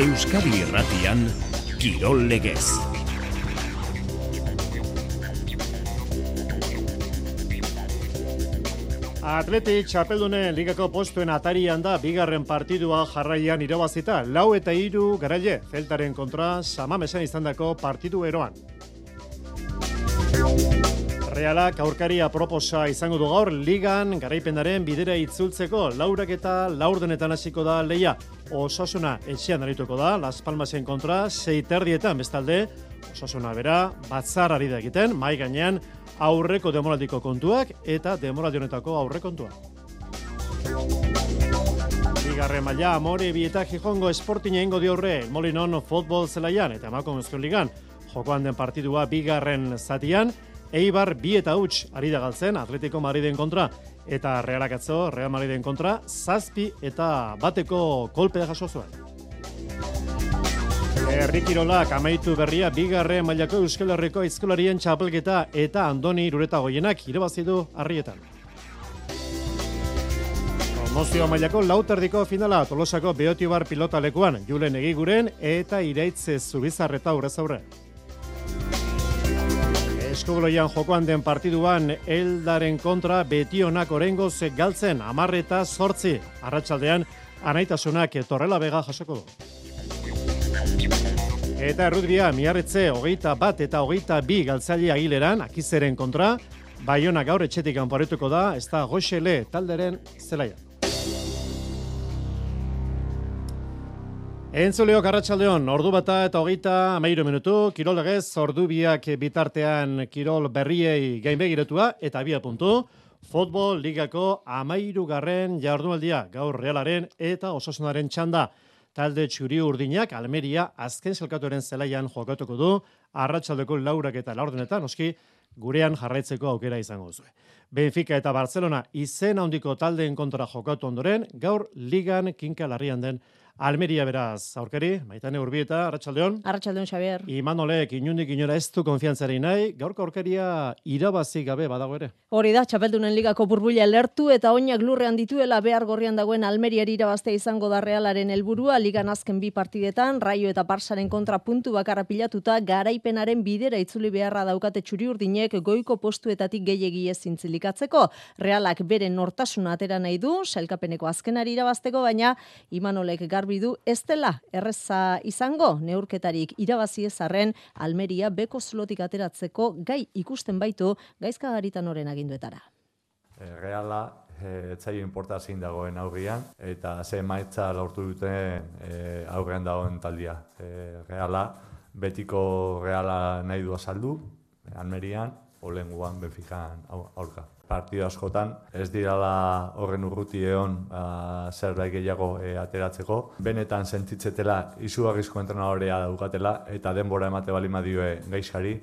Euskadi Irratian, Kirol Legez. Athletic txapeldunen ligako postuen atarian da bigarren partidua jarraian irabazita. 4-3 garaile, Celtaren kontra Samamesan izandako partidu eroan. Realak aurkaria proposa izango du gaur ligan garaipenaren bidera itzultzeko. 4:04 hasiko da leia. Osasuna etxean arituko da Las Palmasen kontra 6:30 bestalde. Osasuna bera batzar ari da egiten, mai gainean aurreko demoraldiko kontuak eta demoraldi honetako aurrekontuak. Bigarren maila Amorebi eta Gijongo Sporting egingo dio aurre Molinon futbol zelaian eta Emakumezko ligan jokoan den partidua bigarren zatian. Eibar 2-0 ari da galtzen Atletico Madriden kontra eta Realak atzo Real Madriden kontra 7-1 kolpea jaso zuen. Herri kirolak amaitu berria bigarren mailako Euskal Herriko aizkolarien txapelketa eta Andoni Irureta Goienak irabazi du Arrietan. Promozio mailako lauterdiko finala Tolosako Beotibar pilota lekuan Julen Egiguren eta Iraitze Zubizarreta aurrez aurre. Eskubloian jokoan den partiduan Eldaren kontra Betionak oraingoz galtzen 10-8. Arratsaldean Anaitasunak Torrelavega jasoko du. Eta errutbia Miarritze 21 eta 22 galtzaile Agileran Akizeren kontra Baiona gaur etxetik kanporatuko da, ez da Goxele talderen zelaia. Entzuleok arratsaldeon, ordu bata eta 33 minutu, Kirol Legez, ordu biak bitartean Kirol berriei gainbegiretua eta 2 puntu. Futbol ligako 13. jardunaldia, gaur Realaren eta Osasunaren txanda. Talde txuri urdinak Almeria azken zelkatuaren zelaian jokatuko du, arratsaldeko 4 eta 4 noski gurean jarraitzeko aukera izango duzu. Benfica eta Barcelona izen handiko taldeen kontra jokatu ondoren, gaur ligan kinka larrian den Almeria beraz, aurkari, Maitane Urbieta, arratsaldeon. Arratsaldeon, Xabier. Imanolek inundik inora ez du konfiantzari nahi, gaurko aurkaria irabazi gabe badago ere. Hori da, txapeldunen ligako burbuila lertu eta oinak lurrean dituela behar gorrian dagoen Almeriari irabaztea izango da Realaren helburua, ligan azken 2 partidetan, Raio eta Barsaren kontra puntu bakarra pilatuta, garaipenaren bidera itzuli beharra daukate txuri-urdinek goiko postuetatik gehiegi ez zintzilikatzeko. Realak bere nortasuna atera nahi du, sailkapeneko azkenari irabazteko, baina Imanolek garbi du ez dela erreza izango, neurketarik irabazi ezarren Almeria beko zulotik ateratzeko gai ikusten baitu Gaizka Garitanoren aginduetara. Reala etzaio inportazin dagoen aurrian eta ze emaitza lortu duten aurrean dagoen taldia. Reala, betiko Reala nahi du azaldu, Almerian, olenguan Benfican aurka. Partido askotan ez dirala horren urruti egon zerbait gehiago ateratzeko. Benetan sentitzetela izugarrizko entrenadorea daukatela eta denbora emate bali madioe Gaizkari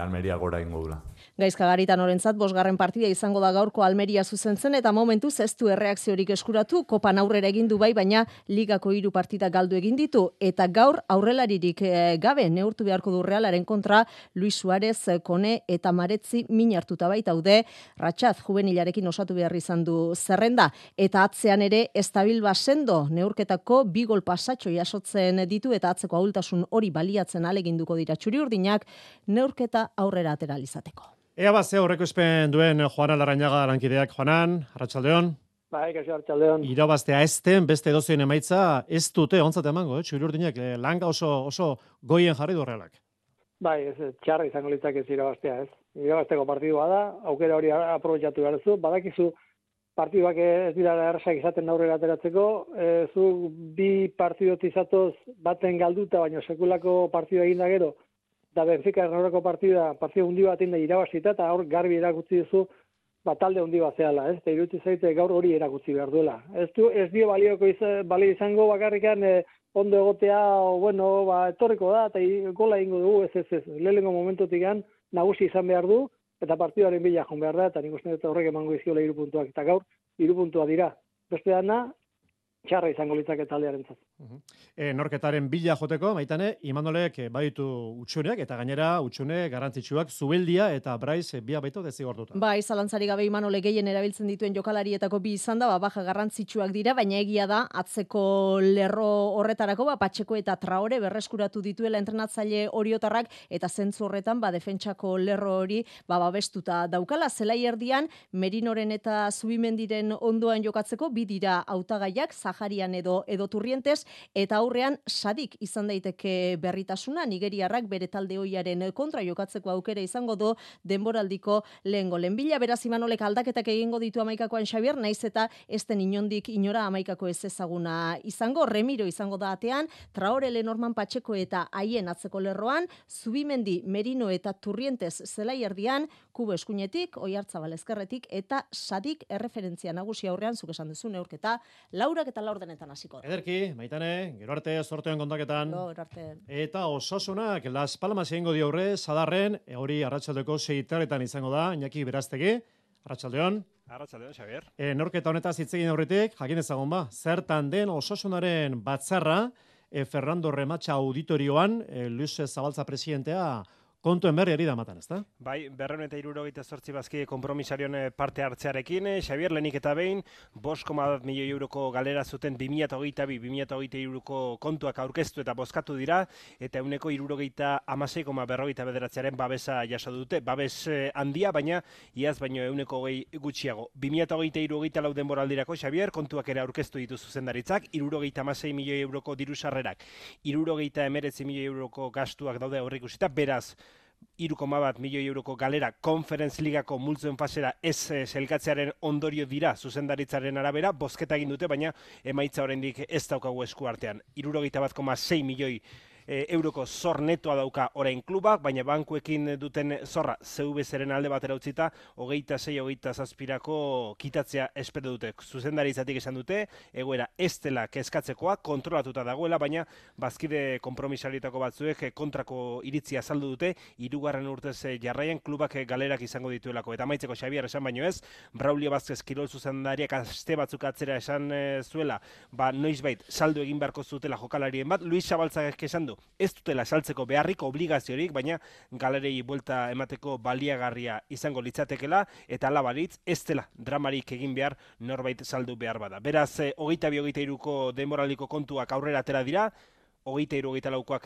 Almeria gora ingo dula. Gaizka Garitanorentzat 5. partida izango da gaurko Almeria zuzentzen eta momentuz ez du erreakziorik eskuratu, kopan aurrera egin du bai, baina ligako 3 partida galdu egin ditu eta gaur aurrelaririk gabe neurtu beharko du Realaren kontra Luis Suarez, Kone eta Maretzi min hartuta baitaude. Ratxat juvenilarekin osatu behar izan du zerrenda eta atzean ere estabil basendo neurketako 2 gol pasatxo jasotzen ditu eta atzeko ahultasun hori baliatzen aleginduko dira txuri-urdinak neurketa aurrera atera izateko. Ea bat ze horreko espen duen Juana Larrañaga lankideak. Juanan, arratsaldeon. Bai, kaixo arratsaldeon. Irabaztea ezten beste edozein emaitza ez dute ontzat emango, txuri-urdinak langa oso goien jarri du Realak. Bai, ez txarra izango litzake ez irabaztea, ez. Irabazteko partidua da, aukera hori aprobetxatu behar duzu, badakizu partiduak ez dira errazak izaten aurrera ateratzeko, zu 2 partidot izatoz baten galduta, baina sekulako partidua egin da gero, eta Benfica aurreko partida hundi bat inda irabazita, eta hor garbi erakutsi duzu, talde hundi bat zehala, ez? Eta irutzi zaite gaur hori erakutsi behar duela. Ez dio balio izango bakarrikan ondo egotea, etorriko da, eta gola egingo dugu, ez. Lehenengo momentutik nagusi izan behar du, eta partiduaren bila joan behar da, eta nik uste dut horrek emango izkiola 3 puntuak, eta gaur 3 puntua dira. Beste dana, txarra izango litzake taldearentzat. Norketaren bila joteko, Maitane, Imanolek baditu utxuneak, eta gainera utxune garrantzitsuak Zubeldia eta Braiz bia baito dezigortuta. Bai, zalantzari gabe Imanolek gehien erabiltzen dituen jokalarietako bi izan da, baja garrantzitsuak dira, baina egia da, atzeko lerro horretarako, Patxeko eta Traore berreskuratu dituela entrenatzaile oriotarrak, eta zentzu horretan, defentsako lerro hori, babestuta daukala, zelai erdian, Merinoren eta Zubimendiren ondoan jokatzeko, bi dira hautagaiak, Zaharian edo Turrientes, eta aurrean Sadik izan daiteke berritasuna, nigeriarrak bere talde hoiaren kontra jokatzeko aukera izango du denboraldiko lehengo lenbila, beraz Imanolek aldaketak egingo ditu Amaikakoan Xabier, naiz eta esten inondik inora Amaikako ez ezaguna izango, Remiro izango da atean, Traore, Lenorman, Patxeko eta haien atzeko lerroan, Zubimendi, Merino eta Turrientes zelai erdian, Kubo eskuinetik, Oiartzabal ezkerretik, eta Sadik erreferentzia nagusi aurrean, zuk esan duzu neurketa, 4:04 hasiko. Ederki, Maitane, gero arte sortean kontaketan. Gero arte. Eta Osasunak Las Palmas egingo dio aurre, Sadarren, hori arratsaldeko 6:00 izango da, Iñaki Beraztegi, arratsaldeon. Arratsaldeon, Xabier. Norketa honetaz hitz egin aurretik, jakin ezagun zertan den Osasunaren batzarra, Fernando Rematxa auditorioan, Luis Zabaltza presidentea kontuen berri ari da matan, ezta? Bai, 278 bazki konpromisarion parte hartzearekin, Xabier, lehenik eta behin, 5,1 milioi euroko galera zuten 2022-2023 kontuak aurkeztu eta bozkatu dira, eta euneko 76,49 babesa jaso dute. Babes handia, baina iaz baino euneko 20 gutxiago. 2023-2024 denboraldirako, Xabier, kontuak ere aurkeztu ditu zuzendaritzak, 76 milioi euroko diru sarrerak, 79 milioi euroko gastuak daude aurreikusita, beraz, 3,1 milioi euroko galera Conference Ligako multzoen fasera ez selkatzearen ondorio dira zuzendaritzaren arabera, bozketa egin dute, baina emaitza oraindik ez daukagu esku artean. 71,6 milioi euroko zor netoa dauka orain klubak, baina bankuekin duten zorra CVSren alde batera utzita, 26-27 kitatzea espero dute. Zuzendaritzatik esan dute, egoera ez dela kezkatzekoa, kontrolatuta dagoela, baina bazkide konpromisarietako batzuek kontrako iritzia azaldu dute, 3. urtez jarraian klubak galerak izango dituelako. Eta amaitzeko, Xabier, esan baino ez, Braulio Vázquez kirol zuzendariak aste batzuk atzera esan zuela, noizbait saldu egin beharko zutela jokalarien bat, Luis Zabaltzak esan du, ez dutela saltzeko beharrik, obligaziorik, baina galerei buelta emateko baliagarria izango litzatekela, eta ala balitz, ez dela dramarik egin behar norbait saldu behar bada. Beraz, 22-23ko denboraldiko kontuak aurrera atera dira, 23-24koak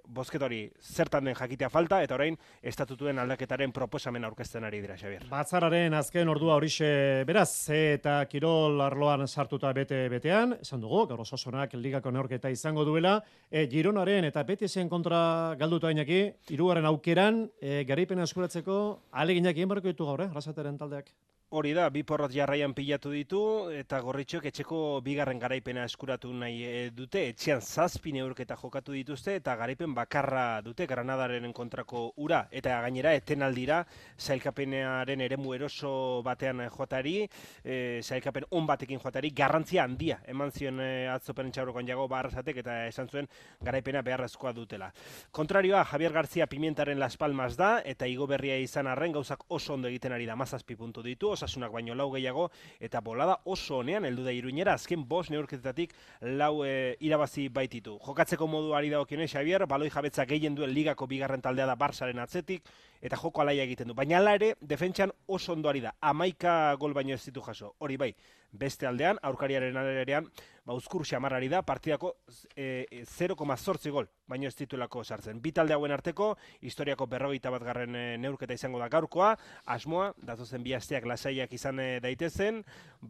bozketori zertan den jakitea falta, eta orain estatutuen aldaketaren proposamen aurkezten ari dira, Xabier. Batzararen azken ordua horixe beraz, eta kirol arloan sartuta betean, esan dugu, gaur Osasunak ligako neorketa izango duela, Gironaren eta Betisen kontra galduta Iñaki, 3. aukeran, garaipena eskuratzeko ahaleginak egin beharko ditu gaur, Arrasateren taldeak. Hori da, bi porrot jarraian pilatu ditu, eta Gorritxoek etxeko 2. garaipena eskuratu nahi dute, etxean 7 neurketa jokatu dituzte, eta garaipen bakarra dute Granadaren kontrako ura, eta gainera etenaldira sailkapenaren eremu eroso batean joatari, sailkapen on batekin joatari, garrantzia handia, eman zion atzo Perentxaurokoan Jago Arrasatek, eta esan zuen garaipena beharrezkoa dutela. Kontrarioa, Javier García Pimientaren Las Palmas da, eta igo berria izan arren gauzak oso ondo egiten ari da, 17 puntu ditu, Osasunak baino 4 gehiago, eta bolada oso honean heldu da Iruñera, azken 5 neurketetatik 4 irabazi baititu. Jokatzeko moduari dagokionez, Xabier, baloi jabetza gehien duen ligako 2. taldea da Barsaren atzetik, eta joko alaia egiten du. Baina hala ere, defentsan oso ondoari da, 11 gol baino ez ditu jaso. Hori bai, beste aldean, aurkariaren alerean, uzkur xamarrari da, partidako 0,8 gol, baino ez dituelako sartzen. Bi talde hauen arteko, historiako 41. neurketa izango da gaurkoa, asmoa, datozen bi asteak lasaiak izan daitezen,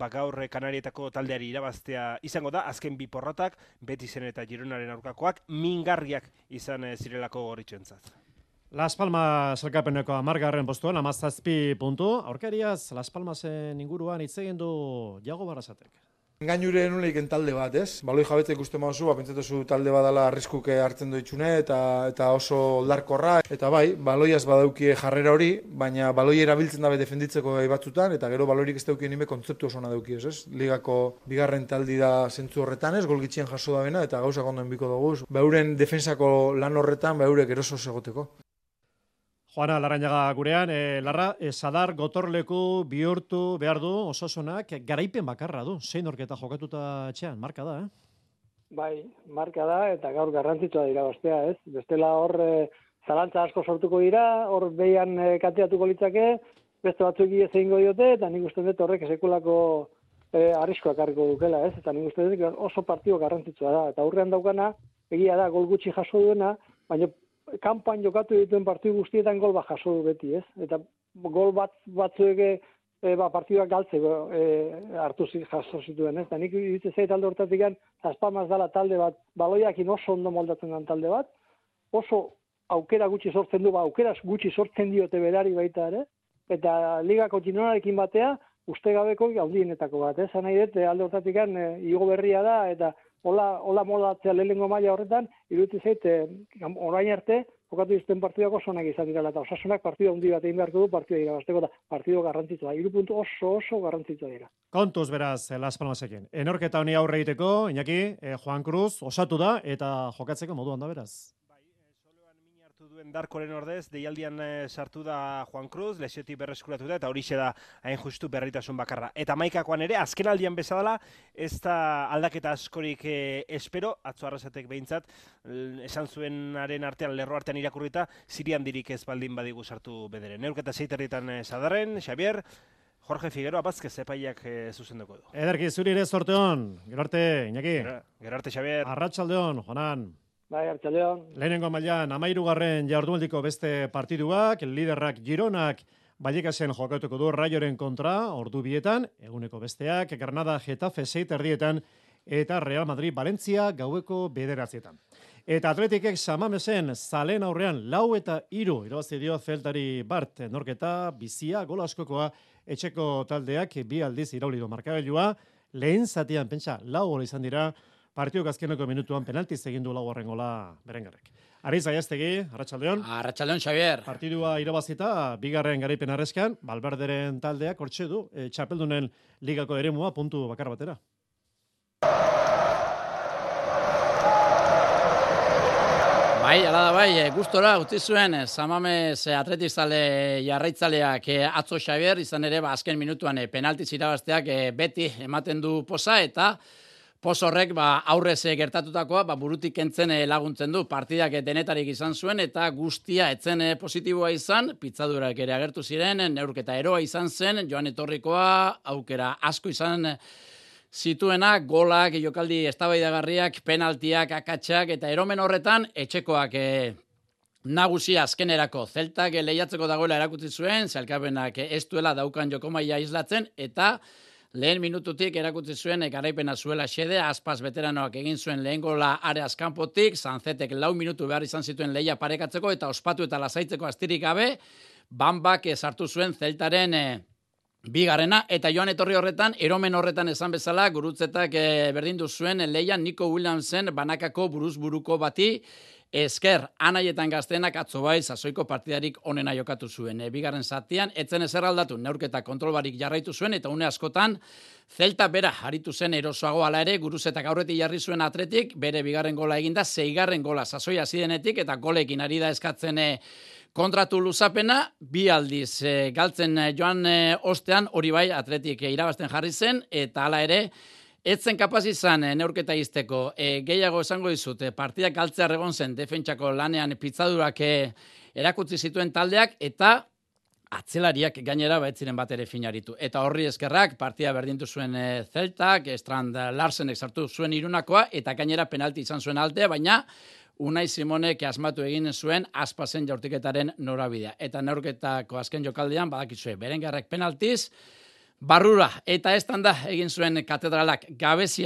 gaur Kanarietako taldeari irabaztea izango da, azken bi porrotak, Betisen eta Gironaren aurkakoak, mingarriak izan zirelako Gorritxoentzat. Las Palmas elkapeneko 10. postuan, 17 puntu. Aurkariaz, Las Palmasen inguruan hitz egin du Jago Barrasatek. Gainure nuleiken talde bat, ez? Baloi jabetza ikusten mauzu, pentsatuzu talde badala arriskuke hartzen doitxune eta oso oldarkorra. Eta bai, baloiaz badaukie jarrera hori, baina baloi erabiltzen dabe defenditzeko batzutan, eta gero baloirik ez daukien nime kontzeptu osona dauki, ez? Ligako 2. taldi da zentzu horretan, ez? Golgitxien jaso da bena, eta gauzak ondo enbiko dugu. Beuren defensako lan horretan, beurek eroso segoteko. Juana Larrañaga gurean, Larra, Sadar gotorleku bihurtu behar du Osasunak garaipen bakarra du. 6 neurketa jokatuta etxean, marka da, Bai, marka da, eta gaur garrantzitsua dira bastea, ez? Bestela hor zalantza asko sortuko dira, hor behian kateatuko litzake, beste batzuk ez egingo diote, eta nik uste dut horrek sekulako arriskoak harriko dukela, ez? Eta nik uste dut oso partido garrantzitsua da, eta aurrean daukana, egia da, gol gutxi jaso duena, baina kanpoan jokatu dituen partidu guztietan gol bat jaso du beti, ez? Eta gol batzuek partiduak galtzeko jaso zituen, ez? Eta nik iritze zait talde hortatik Zazpamaz dala talde bat, baloiakin oso ondo moldatzen den talde bat, oso aukera gutxi sortzen du, aukera gutxi sortzen diote berari baita ere, eta ligako txinonarekin batea, uste gabeko handienetako bat, ez? Nahi dut, alde hortatik igo berria da, eta hola moldatzea lehenengo maila horretan, iruditzen zait, orain arte, jokatu izten partiduak oso onak izan direla, eta Osasunak partida handi bat egin beharko du partida irabazteko, eta partido garrantzitsua, 3 puntu oso garrantzitsua dira. Kontuz beraz, Las Palmasekin. Enorketa honi aurre egiteko, Iñaki, Juan Cruz osatu da, eta jokatzeko moduan da beraz. Duen Darkoren ordez, deialdian sartu da Juan Cruz, lesiotik berreskuratu da, eta horixe da hain justu berritasun bakarra. Eta maikakoan ere, azken aldian bezala, ez da aldaketa askorik espero, atzo arrasatek behintzat, esan zuenaren artean, lerro artean irakurrita, Sirian dirik ez baldin badigu sartu bederen. Neurketa 6:30 Sadarren, Xavier, Jorge Figueroa Bazkez epaiak zuzenduko du. Ederki, zuri ere zorte hon, gero arte, Iñaki. Gero arte, Xavier. Arratsaldeon, Jonan. Bai, arratsaldeon. Lehenengo mailan 13. jardunaldiko beste partiduak, liderrak Gironak Vallecasen jokatuko du Rayoren kontra, ordu bietan, eguneko besteak, Granada Getafe 6:30 eta Real Madrid Valencia gaueko 9:00. Eta Atletikek Samamesen zalen aurrean 4-3 irabazi dio Celtari Bart, norketa bizia gol askokoa etxeko taldeak bi aldiz irauli du markagailua, lehen zatian pentsa 4 gol izan dira. Partiok azkeneko minutuan penaltiz egin du 4. gola Berengerrek. Ariz Aiastegi, arratsaldeon. Arratsaldeon, Xavier. Partidua irabazita, bigarren garaipen arreskan, Valverderen taldeak hortxe du, txapeldunen ligako eremua puntu bakar batera. Bai, ala da bai, gustora utzi zuen Samamez atletizale jarraitzaleak atzo Xavier, izan ere azken minutuan penaltiz irabazteak beti ematen du posa, eta pos horrek aurrez gertatutakoa burutik kentzen laguntzen du. Partidak denetarik izan zuen eta guztia etzen positiboa izan, pitzadurak ere agertu ziren, neurketa eroa izan zen, joan etorrikoa, aukera asko izan zituena, golak, jokaldi eztabaidagarriak, penaltiak, akatsak, eta eromen horretan etxekoak nagusia azkenerako. Zeltak lehiatzeko dagoela erakutsi zuen, zelkapenak ez duela daukan jokomaia islatzen, eta lehen minututik erakutsi zuen garaipena zuela xede, Aspas veteranoak egin zuen lehen gola areaz kanpotik, Sanzetek 4 minutu behar izan zituen lehia parekatzeko, eta ospatu eta lasaitzeko astirik gabe, Bambak sartu zuen Zeltaren bigarrena, eta joan etorri horretan, eromen horretan esan bezala, gurutzetak berdindu zuen lehia Nico Williamsen banakako buruz-buruko bati, esker, anaietan gaztenak atzo bai, sasoiko partidarik onena jokatu zuen. Bigarren zatian, etzen ezer aldatu, neurketa kontrolbarik jarraitu zuen, eta une askotan, Zelta bera aritu zen erosoago ala ere, guruzetak aurretik jarri zuen Atletik, bere bigarren gola eginda, 6. gola sasoia zidenetik, eta golekin ari da eskatzen kontratu luzapena, 2 aldiz galtzen joan ostean, hori bai, Atletik irabazten jarri zen, eta hala ere, etzen kapaz izan neurketa izteko, gehiago esango dizut, partidak galtzea egon zen defentsako lanean pitzadurak erakutsi zituen taldeak, eta atzelariak gainera baetziren bat ere finaritu. Eta horri eskerrak, partia berdintu zuen Zeltak, Strand Larsenek sartu zuen irunakoa, eta gainera penalti izan zuen altea, baina Unai Simonek asmatu egin zuen Aspasen jaurtiketaren norabidea. Eta neurketako azken jokaldean, badakizue, Berengerrek penaltiz, barrura, eta estanda egin zuen katedralak gabezi,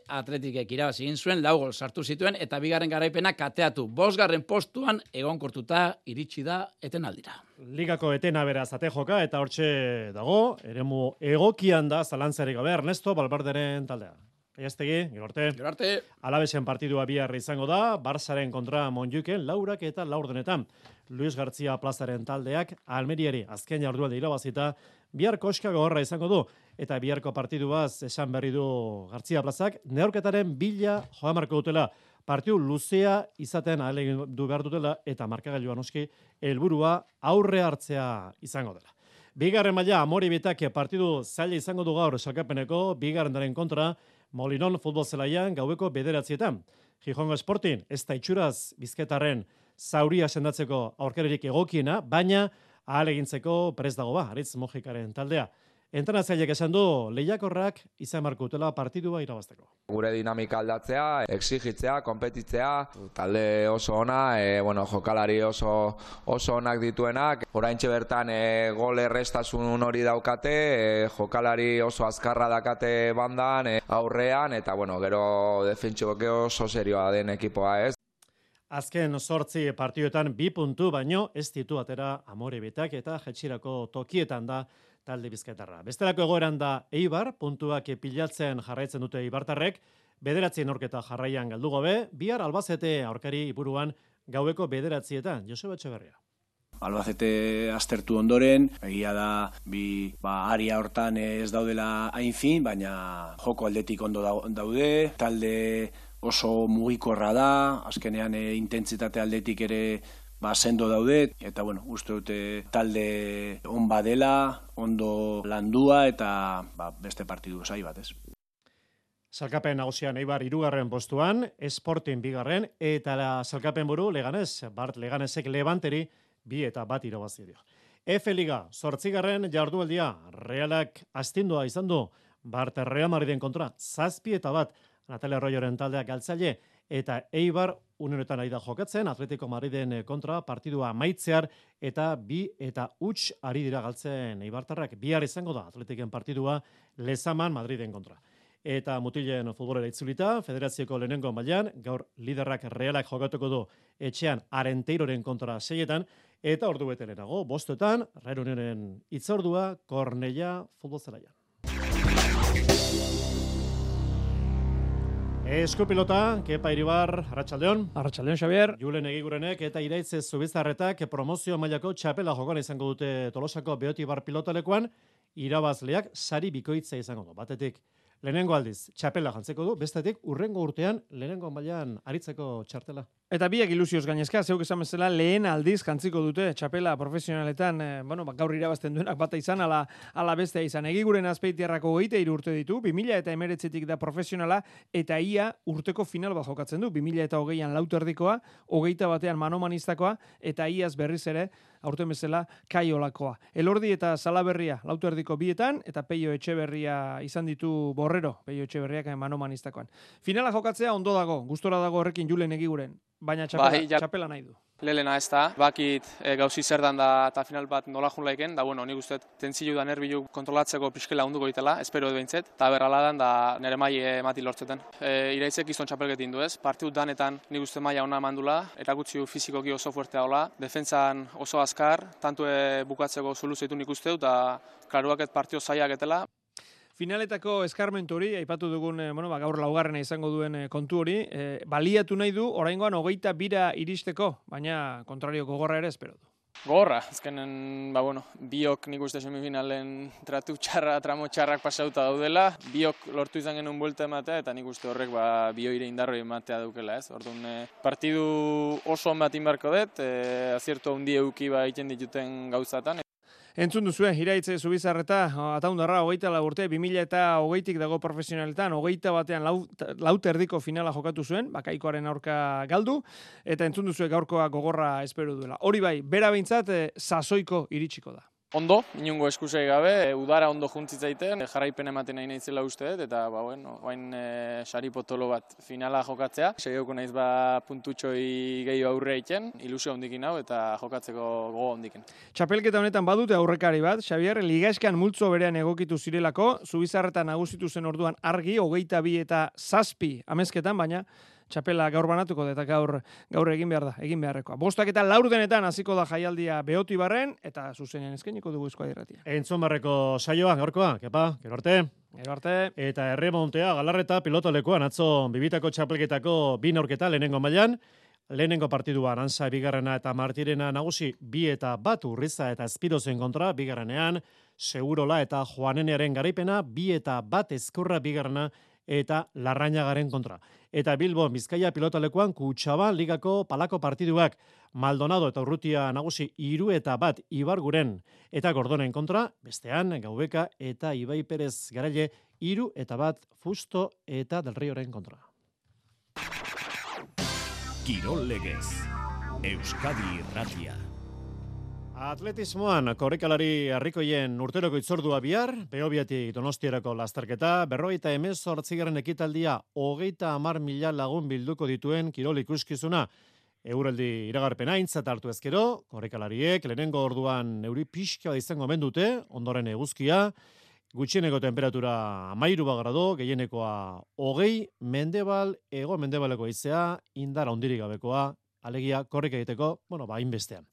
Atletikek irabazi egin zuen, 4 gol sartu zituen, eta bigarren garaipena kateatu. 5. postuan egonkortuta iritsi da etenaldira. Ligako etena beraz ate joka, eta hortxe dago, eremu egokian da zalantzarik gabe, Ernesto Valverderen taldea. Aiastegi, gero arte. Alabesen partidua bihar izango da, Barsaren kontra Montjuiken, 4 eta 4. Luis García Plazaren taldeak Almeriari azken jardunaldi irabazita bihar koska gogorra izango du, eta biharko partiduaz esan berri du García Plazak, neurketaren bila joan marko dutela, partidu luzea izaten ahalegin du behar dutela, eta markagailuan oski helburua aurre hartzea izango dela. Bigarren maila Amori Bitake partidu zaila izango du gaur salkapeneko, bigarrenaren kontra Molinon futbol zelaian gaueko 9:00. Gijongo Sporting ez da itxuraz bizketarren zauria sendatzeko aurkaririk egokiena, baina ahalegintzeko prest dago Aritz Mojikaren taldea. Entrenatzaileak esan du lehiakorrak izan markutela partidua irabazteko. Gure dinamika aldatzea, exigitzea, konpetitzea, talde oso ona, jokalari oso onak dituenak. Oraintxe bertan gol errestasun hori daukate, jokalari oso azkarra dakate bandan, aurrean, eta gero defentsio oso serioa den ekipoa ez. Azken 8 partiduetan 2 puntu baino ez ditu atera Amorebitak eta jetxirako tokietan da talde bizkaitarra. Bestelako egoeran da Eibar, puntuak pilatzen jarraitzen dute eibartarrek, 9 aurketa jarraian galdu gabe, bihar Albacete aurkari iburuan gaueko 9:00. Joseba Etxeberria. Albacete aztertu ondoren, egia da aria hortan ez daudela hain fin, baina joko aldetik ondo daude, talde oso mugikorra da, azkenean intentsitate aldetik ere sendo daude, eta uste dute talde on badela, ondo landua, eta beste partidu zai bat, ez. Salkapen nagusian Eibar 3. postuan, Sporting 2. eta salkapen buru Leganés, Bart Leganesek Levanteri 2-1 irabazi dio. F Liga 8. jardualdia, Realak astindua izan du, Bart Real Madriden kontra 7-1, Natalia Arroyoren taldeak galtzaile, eta Eibar unenetan ari da jokatzen, Atletico Madriden kontra partidua amaitzear, eta 2-0 ari dira galtzen Eibartarrak. Bihar izango da Atletiken partidua Lezaman Madriden kontra. Eta mutilen futbolera itzulita, federazioko lehenengo mailan, gaur liderrak Realak jokatuko du etxean Arenteiroren kontra 6, eta ordu bete lehenago, 5:00, Rairuneren itzordua, Kornellà futbol zelaian. Eskupilota, Kepa Iribar, Arratsaldeon. Arratsaldeon, Xavier. Julen Egigurenek eta Iraitz Zubizarretak promozio mailako txapela jokoan izango dute Tolosako Beotibar pilotalekuan, irabazleak sari bikoitza izango du. Batetik, lehenengo aldiz txapela jantzeko du, bestetik urrengo urtean lehenengo mailan aritzeko txartela. Eta biak ilusioz gainezka, zeuk esan bezala lehen aldiz jantziko dute txapela profesionaletan, gaur irabazten duenak bata izan, ala bestea izan. Egiguren Azpeitiarrako 23 urte ditu, 2019tik da profesionala, eta ia urteko final bat jokatzen du, 2020an lauterdikoa, 21an manomanistakoa, eta iaz berriz ere, aurten bezala, kaiolakoa. Elordi eta Salaberria lauterdiko 2etan, eta Peio Etxeberria izan ditu Borrero, Peio Etxeberriak manomanistakoan. Finala jokatzea ondo dago, gustora dago horrekin Julen Egiguren. Baina txapela nahi du. Lelena ez da, bakit gauzi zer dan da eta final bat nola jun laiken, da nik uste tentzilu da nerbilu kontrolatzeko pixkela hunduko ditela, espero edo behintzet, eta berrala dan da nire maile emati lortzeten. Iraitzek izton txapelketin du ez, partidut danetan nik uste maila ona mandula, erakutzi fizikoki oso fuertea hola, defentsan oso azkar, tantu bukatzeko soluzioitu nik uste, eta klaruaket partio zaiak etela. Finaletako eskarmentu hori, aipatu dugun, gaur laugarrena izango duen kontu hori, baliatu nahi du, oraingoan 22 iristeko, baina kontrario gogorra ere espero du. Gogorra, azkenen, biok nik uste semifinalen tratu txarra, tramo txarrak pasauta daudela, biok lortu izan genuen buelta ematea, eta nik uste horrek bioire indarroi ematea daukela, ez? Orduan, partidu oso on bat inbarko dut, aziertu handi euki egiten dituten gauzatan. Entzun duzue, Iraitz Zubizarreta, ataundarra, 24 urte, 2020tik dago profesionaletan, 21an lauterdiko finala jokatu zuen, bakaikoaren aurka galdu, eta entzun duzue gaurkoa gogorra espero duela. Hori bai, bera behintzat, sasoiko iritsiko da. Ondo, inungo eskusei gabe, udara ondo juntzitzaiten, jarraipen ematen nahi naizela uste dut, eta oain sari potolo bat finala jokatzea. Segeuko naiz puntutxoi gehiago aurre egiten, ilusio hondikin hau eta jokatzeko gogo hondikin. Txapelketa honetan badute aurrekari bat, Xavier, ligaeskan multzo berean egokitu zirelako, Zubizarreta nagusitu zen orduan argi, 22 eta 7 amezketan, baina txapela gaur banatuko da eta gaur egin behar da, egin beharrekoa. 5:04 hasiko da jaialdia Beotibarren eta zuzenean eskainiko dugu Euskadi Irratia. Entzun barreko saioa gaurkoa, Kepa, gero arte. Gero arte. Eta Erremontea Galarreta pilotolekuan atzo bibitako txapelketako 2 neurketa lehenengo mailan. Lehenengo partidua Arantza bigarrena eta Martirena nagusi 2-1 Urriza eta Espirozen kontra, bigarrenean Segurola eta Juanenearen garaipena 2-1 Ezkurra bigarrena eta Larrañagaren kontra. Eta Bilbo Bizkaia pilotalekuan Kutxaban ligako palako partiduak Maldonado eta Urrutia nagusi 3-1 Ibarguren eta Gordonen kontra, bestean Gaubeka eta Ibai Perez Garaile 3-1 Fusto eta Del Rioren kontra. Kirol Legez, Euskadi Irratia. Atletismoan, korrikalari harrikoien urteroko itzordua bihar, Behobiatik Donostierako lasterketa, 58. ekitaldia 30.000 lagun bilduko dituen kirol ikuskizuna. Euraldi iragarpena aintzat hartu ezkero, korrikalariek lehenengo orduan euri pixka izango mendute, ondoren eguzkia, gutxieneko temperatura 13 grado, gehienekoa 20, mendebal, ego mendebaleko haizea, indar handirik gabekoa, alegia korrika egiteko, hainbestean.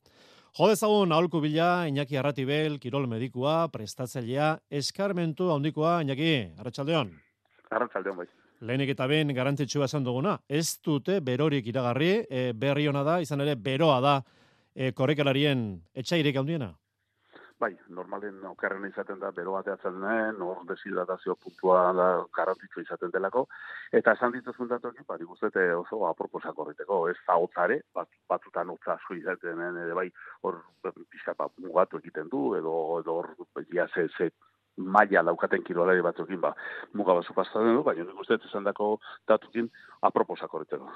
Jo dezagun aholku bila Iñaki Arratibel, kirol medikua, prestatzailea, eskarmentu handikoa, Iñaki, arratsaldeon. Arratsaldeon bai. Lehenik eta behin garrantzitsua esan duguna, ez dute berorik iragarri, berri ona da, izan ere beroa da korrikalarien etxairik handiena. Bai, normalen okerrena izaten da, bero bateatzen den, hor deshidratazio puntua da garrantzitsua izaten delako, eta esan dituzun datuak, nik uste oso aproposak horreteko, ez da hotzare, batzutan hotza asko izaten den, bai, hor pixka mugatu egiten du, edo hor ja ze maila daukaten kirolari batzukin, muga batzu pasatzen du, baina nik uste esan dako datukin aproposak horreteko.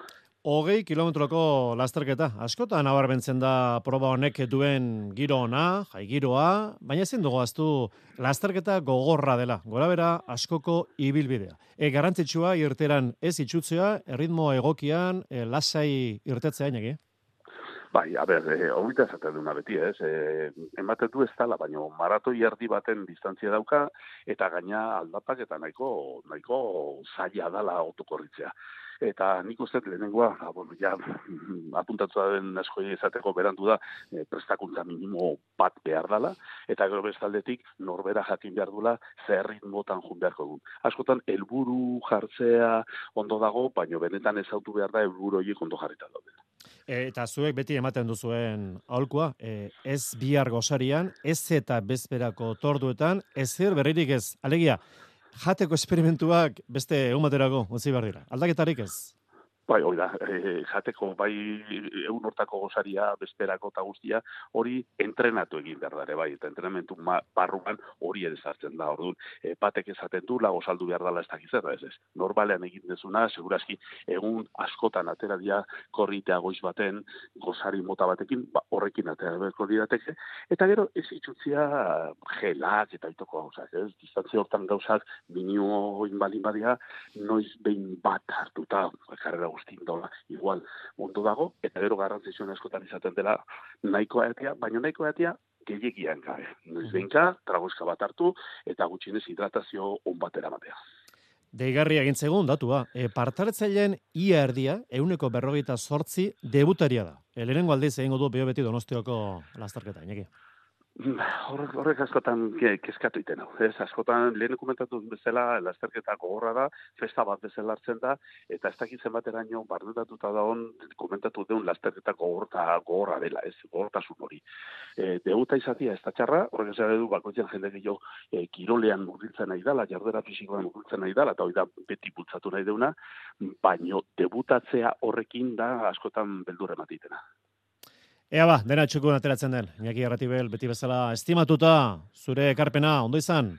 20 kilometroko lasterketa. Askotan nabarmentzen da proba honek duen giro ona, jai giroa, baina ezin dugu aztu lasterketa gogorra dela. Gorabera askoko ibilbidea. Garrantzitsua irteran ez itxutzea, erritmo egokian, lasai irtetzea Iñaki. Bai, horita esaten duna beti, ez? Ematen du ez dala, baina maratoi erdi baten distantzia dauka, eta gaina aldapak eta nahiko zaila dala autokorritzea. Eta nik uste lehenengoa, apuntatu da den askoi izateko berandu da, prestakuntza minimo bat behar dala, eta gero bestaldetik norbera jakin behar dula zer ritmotan jun beharko du. Askotan, helburu jartzea ondo dago, baina benetan ezautu behar da helburu horiek ondo jarrita daude. Eta zuek beti ematen duzuen aholkua, ez bihar gozarian, ez eta bezperako torduetan, ezer berririk ez. Alegia, jateko esperimentuak beste egun baterako utzi behar dira. Aldaketarik ez? Bai, hori da, jateko, bai, egun hortako gozaria, bezperako eta guztia, hori entrenatu egin behar dara, bai, eta entrenamentu barruan hori ere sartzen da, orduan, batek esaten du, gozaldu behar dela ez dakizera, ez. Normalean egin dezuna, segurazki, egun askotan atera dira korritea goiz baten, gozari mota batekin, horrekin atera berko dirateke, eta gero ez itxutzia gelak eta itoko gauzak, ez, distantzia hortan gauzak, minio inbalin badia, noiz behin bat hartuta, karrera guztin dola, igual ondo dago, eta gero garrantzitsuen askotan izaten dela nahikoa etea, baina nahikoa etea gehiegian gabe. Noiz behinka, tragoizka bat hartu, eta gutxinez hidratazio on batera matea. Deigarria egintzegun datua, partaretzaileen ia erdia, 48 debutaria da. Lehenengo aldiz egingo du Beobeti Donostiako lasterketa, Iñaki. Horrek askotan kezkatu iten hau. Askotan lehen komentatu bezala lasterketa gogorra da, festa bat bezala hartzen da, eta ez dakitzen bateraino bardutatuta da komentatu deun lasterketa gogorra dela, ez gogortasun hori. Debuta izatia ez da txarra, horrek ez du bakoitzen jende gehiago kirolean murgiltzen nahi dela, jardera fisikoan murgiltzen nahi dela, eta hori da beti bultzatu nahi deuna, baino debutatzea horrekin da askotan beldur ematitena. Ea dena txukun ateratzen den. Iñaki Arratibel, beti bezala estimatuta, zure ekarpena, ondo izan?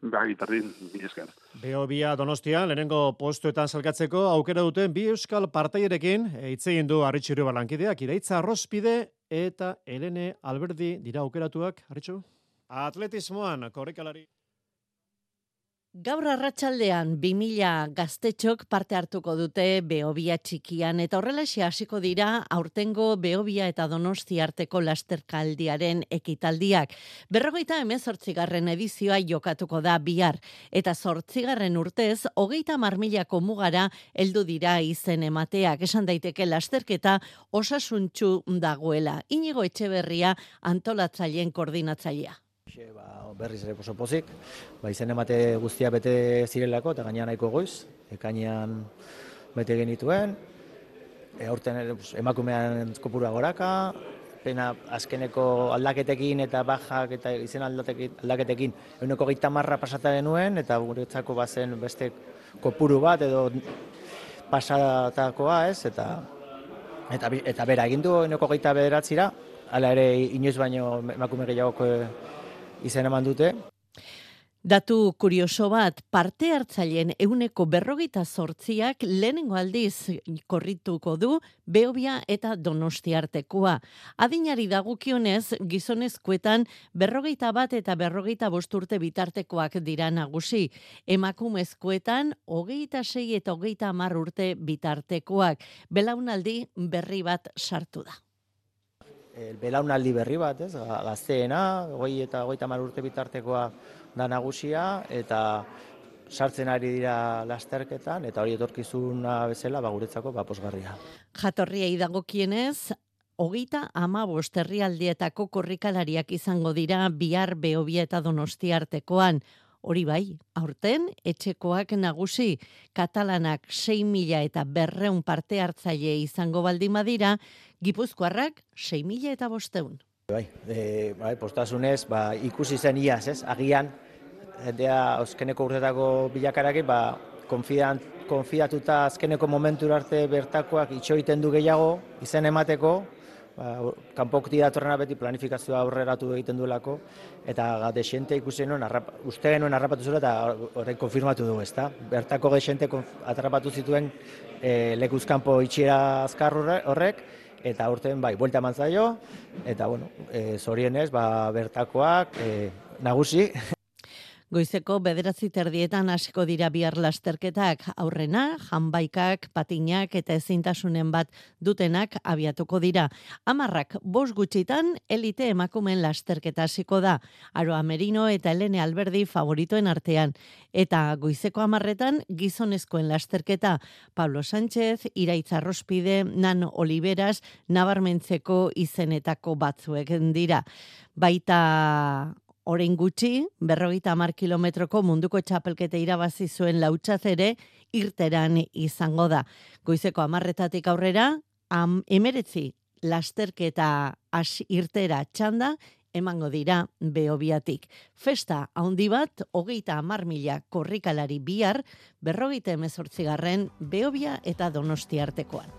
Bai, berdin, mila esker. Behobia Donostian, lehenengo postuetan salgatzeko aukera duten bi euskal partairekin, hitz egin du Arritxu Balankideak, Iraitza Arrospide eta Helene Alberdi dira aukeratuak, Arritxu? Atletismoan, korrikalari. Gaur arratsaldean 2000 gaztetxok parte hartuko dute Behobia txikian eta horrelaxe hasiko dira aurtengo Behobia eta Donosti arteko lasterkaldiaren ekitaldiak. 58. edizioa jokatuko da bihar eta 8. urtez 30.000 mugara heldu dira izen emateak. Esan daiteke lasterketa osasuntsu dagoela. Inigo Etxeberria antolatzaileen koordinatzailea. Berriz ere oso pozik, izen emate guztia bete zirelako eta gainean nahiko goiz, ekainean bete genituen, aurten emakumean kopurua goraka, pena azkeneko aldaketekin eta bajak eta izen aldaketekin 130 pasata genuen eta guretzako bazen beste kopuru bat edo pasatakoa ez, eta bera egin du 129, hala ere inoiz baino emakume gehiagok izen eman dute. Datu kurioso bat, parte hartzaileen 48%ak lehenengo aldiz korrituko du Behobia eta Donostiartekoa. Adinari dagokionez, gizonezkoetan 41 eta 45 urte bitartekoak dira nagusi. Emakumezkoetan 26 eta 30 urte bitartekoak. Belaunaldi berri bat sartu da. Belaunaldi berri bat, ez? Gazteena, 20 eta 30 urte bitartekoa da nagusia, eta sartzen ari dira lasterketan, eta hori etorkizuna bezala guretzako posgarria. Jatorriei dagokienez, 35 herrialdeetako korrikalariak izango dira bihar Behobia eta Donostiartekoan. Hori bai, aurten etxekoak nagusi, katalanak 6.000 eta 200 parte hartzaile izango baldin badira, gipuzkoarrak 6.000 eta 500. Postasunez, ikusi zen iaz, ez? Agian, azkeneko urtetako bilakarakin, konfiatuta azkeneko momentura arte bertakoak itxoiten du gehiago, izen emateko, kanpokti datorrena beti planifikazioa aurreratu egiten duelako, eta dexente ikusi nuen, uste genuen harrapatu zuela, eta horrein konfirmatu dugu, ezta? Bertako dexente atrapatu zituen lekuzkanpo itxiera azkar horrek, eta urten buelta eman zaio, eta zorienez, bertakoak nagusi. Goizeko 9:30 hasiko dira bihar lasterketak, aurrena, janbaikak, patinak eta ezintasunen bat dutenak abiatuko dira. 10:05 gutxitan elite emakumeen lasterketa hasiko da. Aroa Merino eta Helene Alberdi favoritoen artean. Eta goizeko 10:00 gizonezkoen lasterketa. Pablo Sánchez, Iraitz Arrospide, Nano Oliveras, nabarmentzeko izenetako batzuek dira. Baita orain gutxi, 50 kilometroko munduko txapelketa irabazi zuen Lautzaz ere irteran izango da. Goizeko 10:00 aurrera, 19 lasterketa irtera txanda emango dira Behobiatik. Festa handi bat, 30.000 korrikalari bihar, 58. Behobia eta Donostiartekoan.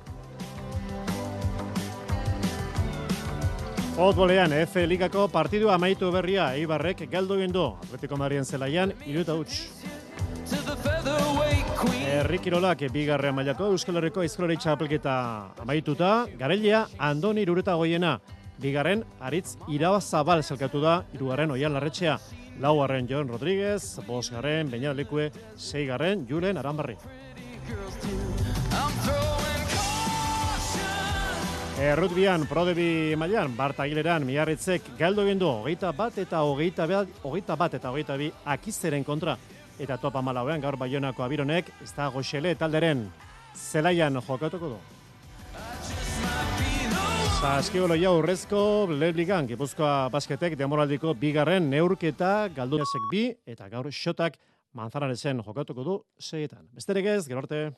Futbolean, F Ligako partidu amaitu berria, Eibarrek galdu egin du. Atletico Madriden zelaian 3-0. Herri kirolak bigarren mailako Euskal Herriko aizkolari txapelketa amaituta, Garailea Andoni Iruretagoiena, bigarren Aritz Irabazabal zelkatu da, 3. Oian Larretxea, 4. Jon Rodríguez, 5. Beñat Lekue, 6. Julen Aranbarri. Rugbian, Prodebi mailan, Bart Agileran, Miarritzek galdu egin du 21 eta 22 Akizeren kontra. Eta topa malauean gaur Baionako Abironek, ez da Goxele talderen zelaian jokatuko du. Saskibaloia urrezko Ligan, Gipuzkoa Basketek demoraldiko bigarren neurketa galdu 2 eta gaur Xotak Manzanarezen jokatuko du 6. Besterik ez, gero arte.